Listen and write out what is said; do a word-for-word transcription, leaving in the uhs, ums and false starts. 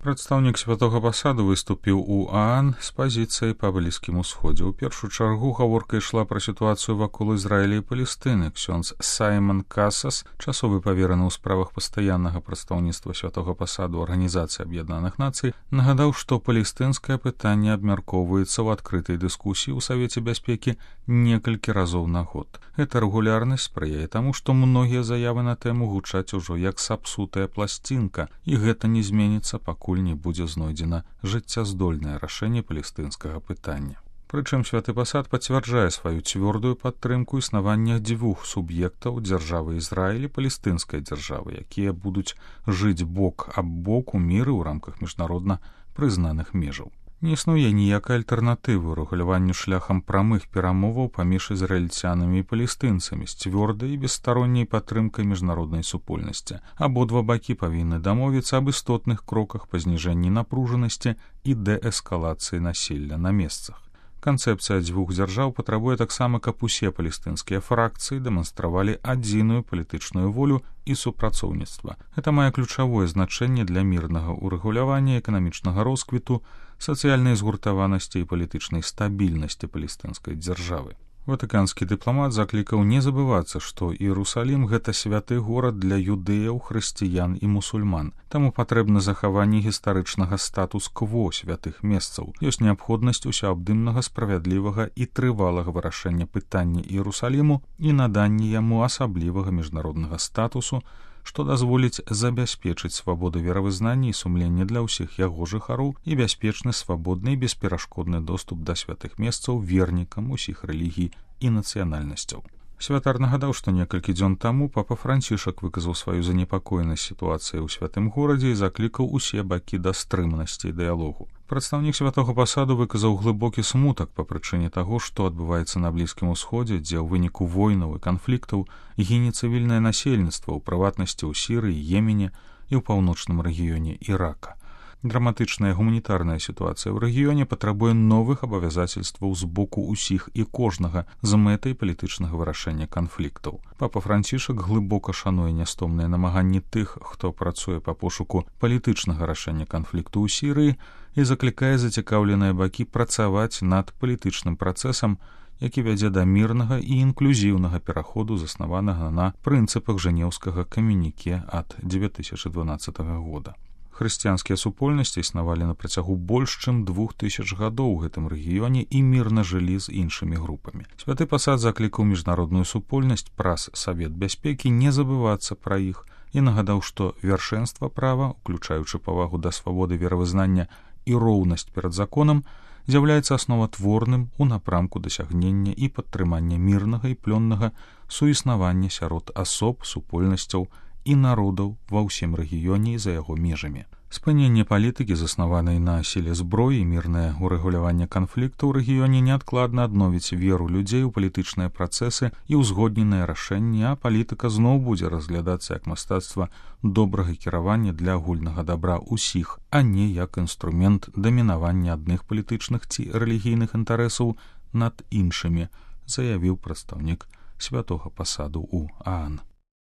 Прадстаўнік святога пасаду выступіў у ААН з пазіцыяй па Блізкім усходзе. У першую чаргу гаворка ішла пра сітуацыю вакол Ізраіля і Палестыны. Ксёндз Саймон Касас, часовы павераны ў справах пастаяннага прадстаўніцтва святога пасаду Арганізацыі Аб'яднаных Нацый, нагадаў, што палестынскае пытанне абмяркоўваецца ў адкрытай дыскусіі ў Савеце бяспекі некалькі разоў на год. Гэта рэгулярнасць спрыяе таму, што многія заявы на тэму гучаць ужо як сапсутая пласцінка, і гэта не зменіцца, пакуль не будзе знойдзена жыццяздольнае рашэнне палестынскага пытання. Прычым святы пасад пацвярджае сваю цвёрдую падтрымку існавання дзвюх суб'ектаў дзяржавы Ізраіль і палестынскай дзяржавы, якія будуць жыць бок аб бок у міры ў рамках міжнародна прызнаных межаў. Не існуе ніякай альтэрнатывы рэгуляванню шляхам прамых перамоваў паміж ізраільцянамі і палестынцамі з цвёрдай і бесстаронняй падтрымкай міжнароднай супольнасці. Абодва бакі павінны дамовіцца аб істотных кроках па зніжэнні напружанасці і дээскалацыі насілля на месцах. Канцэпцыя дзвюх дзяржаў патрабуе таксама, каб усе палестынскія фракцыі дэманстравалі адзіную палітычную волю і супрацоўніцтва. Гэта мае ключавое значэнне для мірнага ўрэгулявання эканамічнага росквіту, сацыяльнай згуртаванасці і палітычнай стабільнасці палестынскай дзяржавы. Ватыканскі дыпламат заклікаў не забывацца, што Іерусалім — гэта святы горад для юдэяў, хрысціян і мусульман. Таму патрэбна захаванне гістарычнага статус-кво святых месцаў. Ёсць неабходнасць усеабдымнага, справядлівага і трывалага вырашэння пытання Іерусаліму і наданне яму асаблівага міжнароднага статусу, што дазволіць забяспечыць свабоду веравызнання і сумлення для ўсіх яго жыхароў і бяспечны, свабодны і бесперашкодны доступ да святых месцаў вернікам усіх рэлігій і нацыянальнасцяў. Святар нагадаў, што некалькі дзён таму папа Францішак выказаў сваю занепакоенасць сітуацыяй у святым горадзе і заклікаў усе бакі да стрыманасці і дыялогу. Прадстаўнік святога пасаду выказаў глыбокі смутак па прычыне таго, што адбываецца на Блізкім усходзе, дзе ў выніку войнаў і канфліктаў гіне цывільнае насельніцтва, у прыватнасці ў Сірыі, Йемене і ў паўночным рэгіёне Ірака. Драматычная гуманітарная сітуацыя ў рэгіёне патрабуе новых абавязацельстваў з боку ўсіх і кожнага з мэтай палітычнага вырашэння канфліктаў. Папа Францішак глыбока шануе нястомныя намаганні тых, хто працуе па пошуку палітычнага рашэння канфлікту ў Сірыі, і заклікае зацікаўленыя бакі працаваць над палітычным працэсам, які вядзе да мірнага і інклюзіўнага пераходу, заснаванага на прынцыпах жэнеўскага камюніке ад дзве тысячы дванаццатага года. Хрысціянскія супольнасці існавалі на працягу больш чым двух тысяч гадоў у гэтым рэгіёне і мірна жылі з іншымі групамі. Святы пасад заклікаў міжнародную супольнасць праз Савет бяспекі не забывацца пра іх і нагадаў, што вяршэнства права, уключаючы павагу да свабоды веравызнання і роўнасць перад законам, з'яўляецца асноватворным у напрамку дасягнення і падтрымання мірнага і плённага суіснавання сярод асоб, супольнасцяў і народаў ва ўсім рэгіёне і за яго межамі. Спыненне палітыкі, заснаванай на сіле зброі, і мірнае ўрэгуляванне канфлікту ў рэгіёне неадкладна адновіць веру людзей у палітычныя працэсы і ўзгодненыя рашэнні, а палітыка зноў будзе разглядацца як мастацтва добрага кіравання для агульнага дабра ўсіх, а не як інструмент дамінавання адных палітычных ці рэлігійных інтарэсаў над іншымі, заявіў прадстаўнік святога пасаду ў ААН.